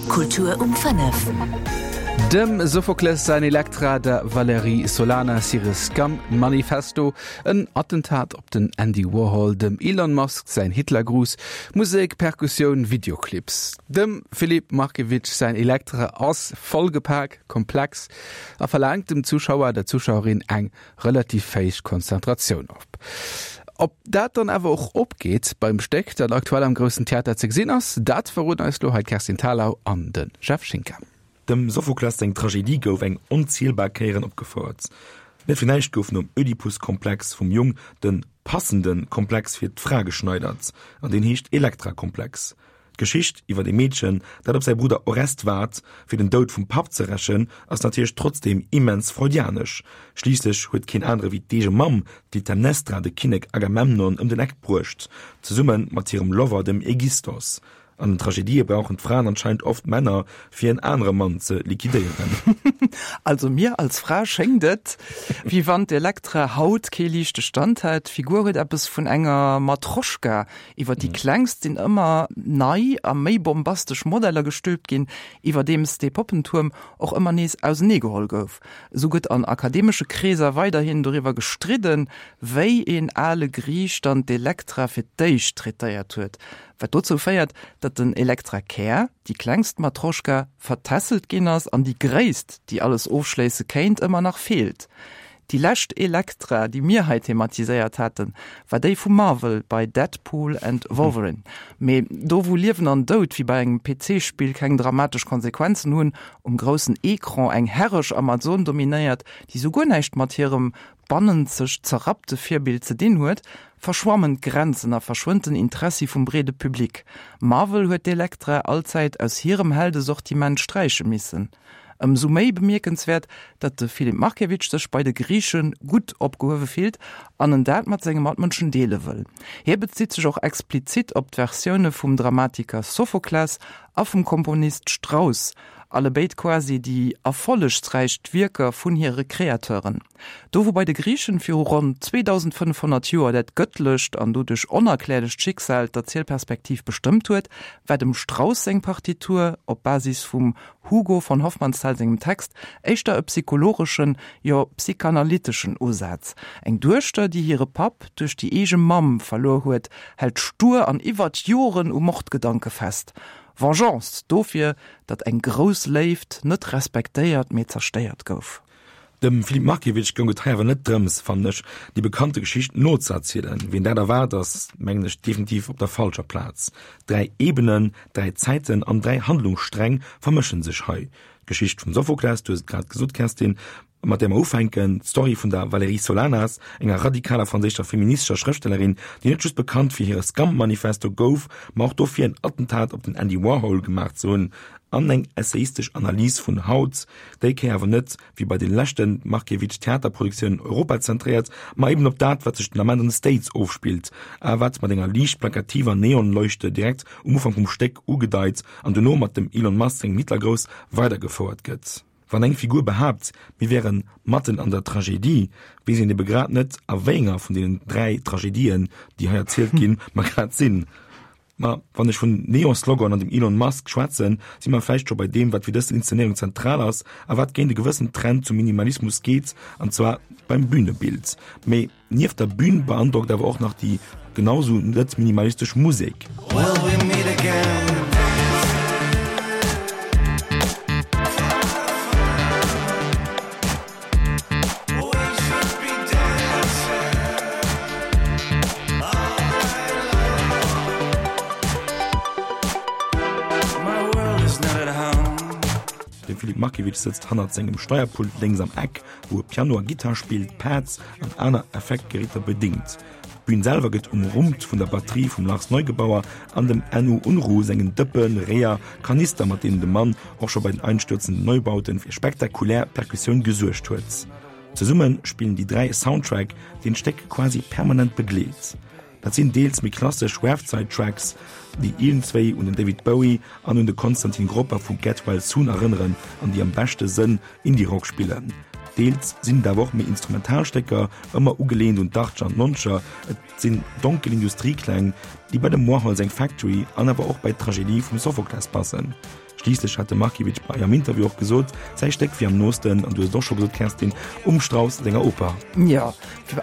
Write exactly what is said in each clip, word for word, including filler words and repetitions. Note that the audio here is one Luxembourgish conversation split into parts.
Kultur um fënnef. Dem Sophokles säin Elektra, der Valérie Solanas hire Scum Manifesto, en Attentat op den Andy Warhol, dem Elon Musk säin Hitlergruß, Musek, Perkussioun, Videoclips. Dem Filip Markiewicz säin Elektra ass vollgepak, komplex a verlaangt dem Zuschauer, der Zuschauerin eng relativ héich Konzentratioun of. Ob dat dann awer och opgeet beim Stéck, dat aktuell am Groussen Theater ze gesinn ass, dat verroden eis lo hei d'Kerstin Thalau an de Jeff Schinker. Dem Sophokles seng Tragedie gouf eng onzielbar Kéieren opgefouert. Net fir näischt gouf nom Ödipus-Komplex vum Jong de passende Komplex fir d'Fra geschneidert, an deen heescht Elektra-Komplex. D'Geschicht iwwer e Meedchen, dat op säi Brudder Orest waart, fir den Doud vum Papp ze rächen, ass natierlech trotzdeem immens freudianesch. Schliisslech huet keen anere wéi d'eege Mamm, d'Klytämnestra, de Kinnek Agamemnon ëm den Eck bruecht, zesumme mat hirem Lover, dem Aegisthos. An den Tragedië brauchen d'Fraen anscheinend oft Männer, fir en anere Mann ze liquidéieren. Also mir als Fra schéngt et, wéi wann d'Elektra haut kee liichte Stand hätt. D'Figur huet eppes vun enger Matroschka, iwwer déi klengst sinn ëmmer nei a méi bombastesch Modeller gestülpt ginn, iwwerdeems dee Poppentuerm och ëmmer nees auseneegeholl gouf. Esou gëtt an akademesche Kreeser weiderhin doriwwer gestridden, wéi een ale Griich dann d'Elektra fir d'éischt traitéiert huet. Wat dozou féiert, datt den Elektra-Kär, déi klengst Matroschka, vertässelt ginn ass an déi gréisst, déi alles ofschléisse kéint, ëmmer nach feelt. Déi lescht Elektra, déi mir hei thematiséiert haten, war déi vu Marvel bei Deadpool and Wolverine. Mee do wou Liewen an Doud wéi bei engem P C-Spill keng dramatesch Konsequenzen hunn, um groussen Ecran eng herresch Amazon dominéiert, déi sou guer näischt mat hirem bannenzeg zerrappte Virbild ze dinn huet, verschwammen d'Grenzen a verschwënnt den Interessi vum breede Public. Marvel huet d'Elektra allzäit aus hirem Heldesortiment sträiche missen. Ëmsou méi bemierkenswäert, datt de Filip Markiewicz sech bei de Griiche gutt opgehuewe fillt an en dat mat senge Matmënschen deele wëll. Hie bezitt sech och explizit op d'Versioune vum Dramatiker Sophokles a vum Komponist Strauss, allebéid quasi déi erfollegsräichst Wierker vun hire Kreateuren. Do wou bei de Griichen viru ronn zweedausendfënnefhonnert Joer dat gëttlecht an doduerch onerklärlecht Schicksal d'Erzielperspektiv bestëmmt huet, war dem Strauss seng Partitur, op Basis vum Hugo von Hofmannsthal sengem Text, éischter e psychologeschen, jo psychanalyteschen Usaz. Eng Duechter, déi hire Papp duerch déi eege Mamm verluer huet, hält stur an iwwert Joren u Mordgedanke fest. Vengeance dofir, datt eng grouss Léift net respektéiert, mee zerstéiert gouf. Dem Filip Markiewicz goung et hei awer net drëms, fannen ech, déi bekannte Geschicht nozeerzielen. Wien dat erwaart, ass, mengen ech, definitiv op der falscher Plaz. Dräi Ebenen, dräi Zäiten an dräi Handlungssträng vermëschen sech hei. D'Geschicht vum Sophokles, du hues et grad gesot, Kerstin, mat där mer ufänken, d'Story vun der Valérie Solanas, enger radikaler franséischer feministescher Schrëftstellerin, déi net just bekannt fir hire Scum-Manifesto gouf, ma och dofir, en Attentat op den Andy Warhol gemaach ze hunn, an eng essayistesch Analys vun haut, déi Kéier awer net, wéi bei de leschte Markiewicz-Theaterproduktiounen, europazentréiert, ma eben op dat, wat sech den Ament an de States ofspillt, a wat mat enger liicht plakativer Neonleuchte direkt um Ufank vum Stéck ugedeit an dono mat dem Elon Musk sengem Hitlergrouss weidergefouert gëtt. Wann eng Figur behaapt, mir wären matten an der Tragedie, weess een ebe grad net, a wéi enger vun deenen dräi Tragedien, déi hei erzielt ginn, mer grad sinn. Ma wann ech vun Neon-Slogan an dem Elon Musk schwätzen, si mer vläicht scho bei deem, wat fir dës Inszenéierung zentral ass a wat géint e gewëssen Trend zum Minimalismus geet, an zwar beim Bünebild. Mee nieft der Bühn beandrockt awer och nach déi genau sou net minimalistesch Musek. Will we meet again? De Filip Markiewicz sëtzt hannert sengem Steierpult lénks am Eck, wou e Piano a Gittar spillt, Pads an aner Effektgeräter bedéngt. D'Bün selwer gëtt umrummt vun der Batterie vum Lars Neugebauer an dem Enno Unruh sengen Dëppen, Réier, Kanister, mat deenen de Mann och scho bei den Einstürzenden Neubauten fir spektakulär Perkussioun gesuergt huet. Zesumme spillen déi dräi e Soundtrack, deen d'Stéck quasi permanent begleet. Dat sinn deels méi klassesch Werfzeit-Tracks, déi iergendswéi un den David Bowie an un de Konstantin Gropper vu Get Well Soon erënneren an déi am beschte Sënn Indie-Rock spillen. Deels sinn et awer och méi instrumental Stécker, ëmmer ugeleent un d'Achtger an d'Noncher. Et sinn donkel Industriekläng, déi bei dem Warhol seng Factory an awer och bei d'Tragedie vum Sophokles passen. Schliisslech hat de Markiewicz bei am Interview och gesot, säi Stéck wier am noosten, an du hues et och scho gesot, Kerstin, um Strauss senger Oper. Jo,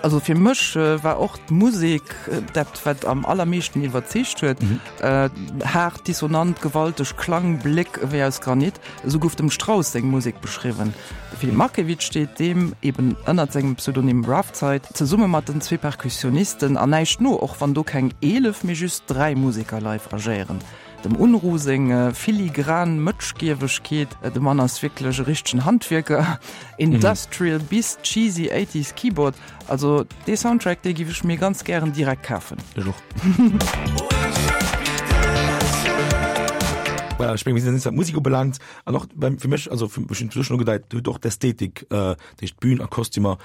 also fir mech war och d'Musek dat, wat am allermeeschten iwwerzeegt huet. Haart, dissonant, gewalteg Klangbléck ewéi aus Granit, esou gouf dem Strauss seng Musek beschriwwen. De Filip Markiewicz steet deem eben ënnert sengem Pseudonym Raphzeit zesumme mat den zwee Perkussionisten an näischt no, och wann do keng eelef, mee just dräi Museker live agéieren. Dem Unruh seng filigran Mëtschgiewegkeet, de Mann ass wierklech e richtegen Handwierker, Industrial bis cheesy Eighties Keyboard, also dee Soundtrack dee giff ech mir ganz gären direkt kafen. Ech och. Voilà, ech meng mir sinn eis wat d'Musek ubelaangt an och beim fir mech, also fir mech hunn ech schon ugedeit, huet och d'Ästhetik, dat heescht d'Bün a Kostümer,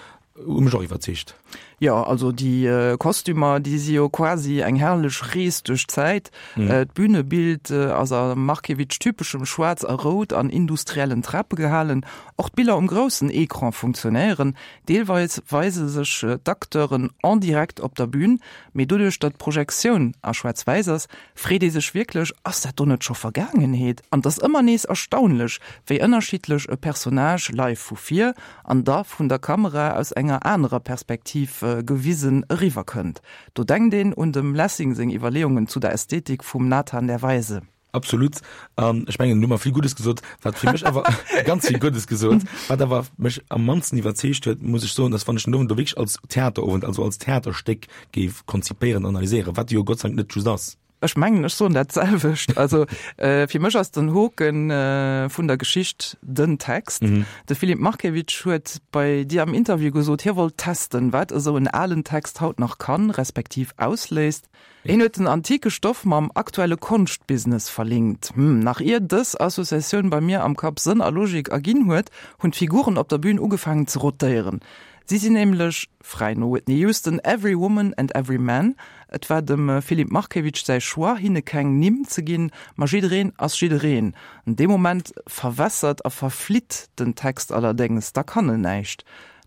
hu mech och iwwerzeegt. Jo, also déi Kostümer, déi si jo quasi eng herrlech Rees duerch d'Zäit. D'Bünebild ass a Markiewicz-typeschem Schwaarz a Rout an industriellen Trape gehalen. Och d'Biller um groussen Ecran funktionéieren. Deelweis weise sech d'Acteuren en direct op der Bün, mee doduerch, datt d'Projektioun a Schwaarz-Wäiss ass, freet ee sech wierklech, Ass dat do net scho Vergaangenheet? An et ass ëmmer nees erstaunlech, wéi ënnerschiddlech e Personnage live vu vir an da vun der Kamera aus enger anerer Perspektiv gewisen eriwwer kënnt. Do denkt een un dem Lessing seng Iwwerleeungen zu der Ästhetik vum Nathan der Weise. Absolut. An ech mengen, du hu mer vill Guddes gesot, wat fir mech awer, ganz vill Guddes gesot, wat awer mech am mannsten iwwerzeegt huet, muss ech soen, dass wann ech den Owend do wierklech als Theaterowend, also als Theaterstéck géif konzipéieren, analyséieren, wat e jo Gott sei Dank net just ass. Ech mengen, ech soen dat selwecht. Also fir mech ass den Hoke vun der Geschicht den Text. De Filip Markiewicz huet bei dir am Interview gesot, hie wollt testen, wat esou en alen Text haut nach kann, respektiv ausléist. Hien huet den antike Stoff mam aktuelle Konschtbusiness verlinkt. Hm, nach ier dës Associatioun bei mir am Kapp Sënn a Logik erginn huet, hunn d'Figuren op der Bün ugefaangen ze rotéieren. Si sinn nämlech, fräi no Whitney Houston, every woman and every man. Et war dem Filip Markiewicz säi Choix, hinne keng Nimm ze ginn, ma jiddereen ass jiddereen. An deem Moment verwässert a verflitt den Text allerdéngs, da kann en näischt.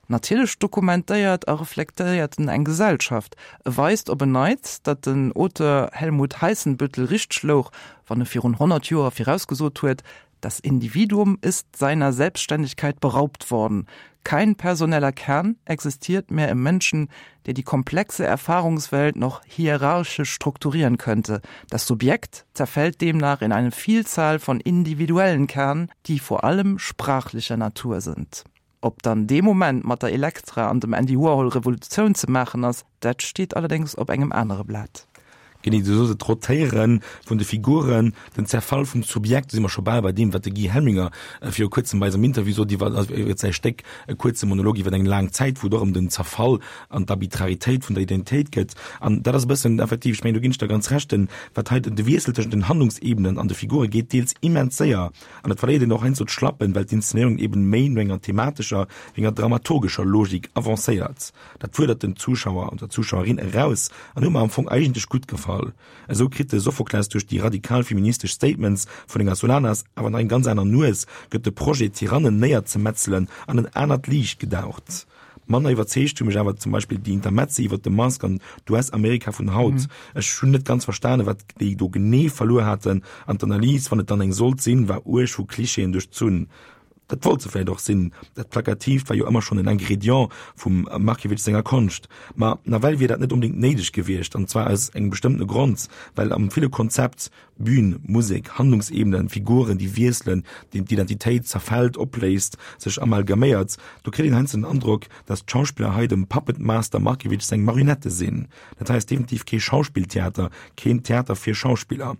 Natierlech dokumentéiert a reflektéiert en eng Gesellschaft. E weist op en Neits, datt den Auteur Helmut Heißenbüttel richteg louch, wann e virun honnert Joer virausgesot huet, Das Individuum ist seiner Selbstständigkeit beraubt worden. Kein personeller Kern existiert mehr im Menschen, der die komplexe Erfahrungswelt noch hierarchisch strukturieren könnte. Das Subjekt zerfällt demnach in eine Vielzahl von individuellen Kernen, die vor allem sprachlicher Natur sind. Ob dann dee Moment mat der Elektra an dem Andy Warhol Revolutioun ze maachen ass, dat steet allerdéngs op engem anere Blat. Genee, du sos et, d'Rotéiere vun de Figuren, den Zerfall vum Subjekt, do si mer scho bal bei deem, wat de Guy Helminger viru kuerzem bei eis am Interview sot iwwer, also iwwer säi Stéck E kuerze Monolog iwwer eng laang Zäit, wou et och ëm den Zerfall an d'Arbitraritéit vun der Identitéit geet. An dat ass e bëssen effektiv, ech mengen, do ginn ech der ganz Recht, den, wat hei de Wiessel tëschent den Handlungsebenen an de Figure geet deels immens séier an et verléiert een och heiansdo d'Schlappen, well d'Inszenéierung eben méi no enger thematescher wéi enger dramaturgescher Logik avancéiert. Dat fuerdert den Zuschauer oder d'Zuschauerin eraus an huet mer am Fong eigentlech gutt gefall. Esou kritt de Sophokles duerch déi radikal feministesch Statements vun enger Solanas awer nach eng ganz aner Nues, gëtt de Projet Tyrannen néierzemetzelen an en anert Liicht gedaucht. Manner iwwerzeegt hu mech awer zum Beispill déi Intermezzi iwwer de Musk an d'US-Amerika vun haut. Ech hunn net ganz verstanen, wat déi do genee verluer haten an d'Analys, wann et dann eng sollt sinn, war uerg vu Klischeeën duerchzunn. Dat wollt se vläicht och sinn, dat Plakatiivt war jo ëmmer schonn en Ingrédient vum Markiewicz senger Konscht. Ma nawell wier dat net onbedéngt néideg gewiescht, an zwar aus engem bestëmmtene Grond, well am ville Konzept, Bühn, Musek, Handlungsebenen, Figuren, déi wiesselen, deem d'Identitéit zerfält, opléist, sech amalgaméiert, do kritt een heiansdo den Androck, datt d'Schauspiller hei dem Puppet Master Markiewicz seng Marionette sinn. Dat hei ass definitiv kee Schauspilltheater, keen Theater fir Schauspiller,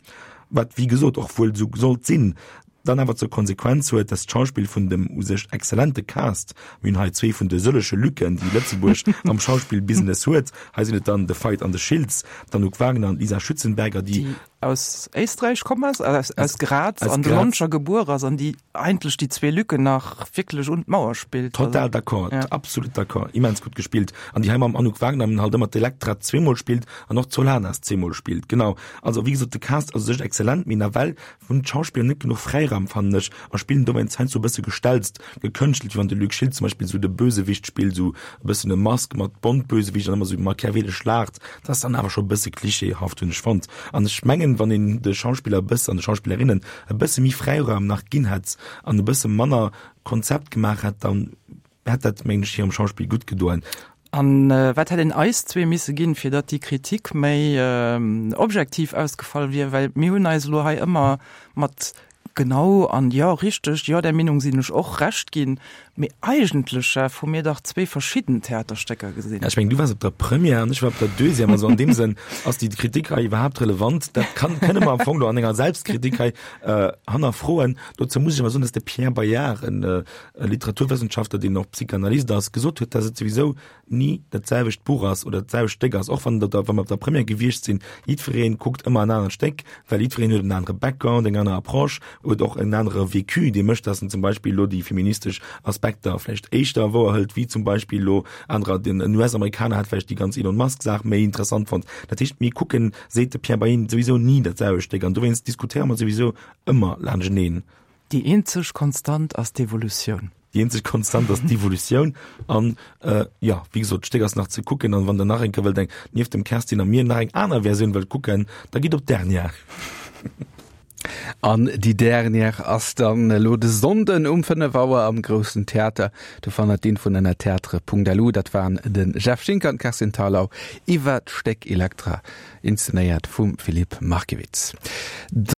wat wéi gesot och wuel esou sollt sinn. dann awer zur Konsequenz huet, dass d'Schauspill vun dem u sech exzellente Cast, mir hunn hei zwee vun de sëllege Lücken, déi Lëtzebuerg am Schauspillbusiness huet, hei sinn et dann de Veit an de Schiltz, d'Anouk Wagner an d'Lisa Schützenberger, déi. Déi aus Éisträich komm ass, aus, aus Graz, an de Lonscher gebuer ass an déi eigentlech déi zwee Lücken nach wierklech un d'Mauer spillt. Total d'accord, ja. Absolut d'accord, immens gutt gespillt. An déi hei mam Anouk Wagner halt ëmmer d'Elektra zweemol spillt an och d'Solanas zweemol spillt. Genau. Also wéi gesot, de Cast ass u sech exzellent, mee nawell hunn d'Schauspiller net genuch Fräiraum. Fräiraum, fannen ech, a spillen dowéinst heiansdo e bësse gestelzt, gekënschtelt, wéi wann de Luc Schild zum Beispill esou de Bösewicht spillt, esou e bëssen e Mask mat Bond-Bösewicht an ëmmer esou machiavelesch laacht. Dat ass dann awer scho e bësse klischeehaft, hunn ech fonnt. An ech mengen, wann een de Schauspiller e bësse an de Schauspillerinnen e bësse méi Fräiraum nach ginn hätt an e bësse manner Konzept gemaach hätt, dann hätt dat, mengen ech, hirem Schauspill gutt gedoen. An wat hätt een eis zwee misse ginn, fir datt déi Kritik méi objektiv ausgefall wier? Well mir hunn eis elo hei ëmmer mat genau an jo, richteg, jo, där Meenung sinn ech och Recht ginn. Mee eigentlech, Jeff, hu mir dach zwee verschidden Theaterstécker gesinn. Ja, ech mengen, du waars op der Première an ech war op der Deuxième. Also an deem Sënn, ass déi Kritik hei iwwerhaapt relevant? Dat kann, kënne mer am Fong do an enger Selbstkritik hei hannerfroen. Dozou muss ech awer soen, datt de Pierre Bayard, en Literaturwëssenschaftler, deen och Psychanalyst ass, gesot huet, datt et souwisou ni dat selwecht Buch ass oder dat selwecht Stéck ass, och wann der, wa mer op der Première gewiescht sinn, jiddweree kuckt ëmmer en anert Stéck, well jiddwereen huet en anere Background, eng aner Approche, huet och en anere Vécu, dee mécht, datt en zum Beispill elo déi feministesch Aspekter vläicht éischter wouerhëlt wéi zum Beispill elo anerer. Den U S-Amerikaner hätt vläicht déi ganz Elon Musk-Saach méi interessant fonnt. Dat heescht, mir kucken, seet de Pierre Bayen, souwisou ni dat selwecht Stéck an dowéinst diskutéiere mer souwisou ëmmer laanschteneen. Déi eenzeg Konstant ass d'Evolutioun. Déi eenzeg Konstant ass d'Evolutioun. An jo, wéi gesot, d'Stéck ass nach ze kucken. An wann Der nach eng Kéier wëllt eng, nieft dem Kerstin a mir, nach eng aner Versioun wëllt kucken, da gitt op d'Dernière. An déi Dernière ass dann elo de Sonnden um fënnef Auer am Groussen Theater. Do fannt der d'Infoen ënner theatre Punkt L U. Dat waren de Jeff Schinker an d'Kerstin Thalau iwwer d'Stéck Elektra, inszenéiert vum Philippe Markiewicz.